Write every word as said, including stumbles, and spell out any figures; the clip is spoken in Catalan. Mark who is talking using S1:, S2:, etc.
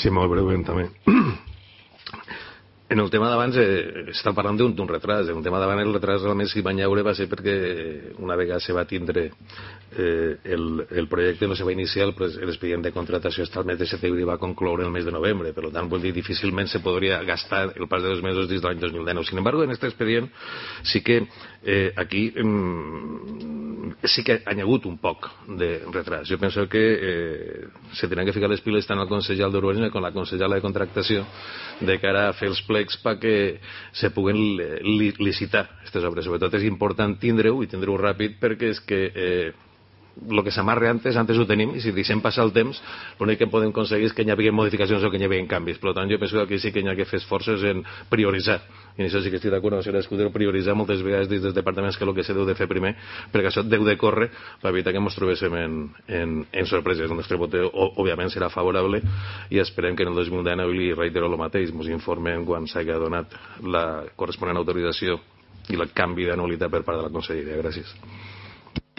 S1: Sí, molt breument també. En el tema d'abans eh, està parlant d'un retras. En el tema d'abans el retras realment si va nyaure va ser perquè una vegada se va tindre eh, el, el projecte no se va iniciar, pues, l'expedient de contratació hasta el mes de setembre i va concloure el mes de novembre. Per tant, vol dir, difícilment se podria gastar el pas de dos mesos dins de l'any dos mil dinou. Sin embargo, en aquest expedient sí que eh, aquí mm, sí que ha hagut un poc de retras. Jo penso que eh, se tenen que ficar les piles tant al consellal d'Urbanisme com la consellala de Contractació de cara a fer els plecs perquè se puguen li licitar aquestes obres. Sobretot és important tindre-ho i tindre-ho ràpid perquè és que eh, el que s'amarre antes, antes ho tenim i si deixem passar el temps l'únic que podem aconseguir és que hi hagi modificacions o que hi hagi canvis. Per tant, jo penso que aquí sí que hi ha que fer esforços en prioritzar, i en això sí que estic d'acord amb la senyora Escudero, prioritzar moltes vegades des dels departaments que és el que se deu de fer primer, perquè això deu de córrer per evitar que ens trobéssim en, en, en sorpreses. El nostre vot òbviament serà favorable i esperem que en el dos mil dinou, i reitero el mateix, ens informen quan s'hagi donat la corresponent autorització i el canvi d'anualitat per part de la conselleria. Gràcies.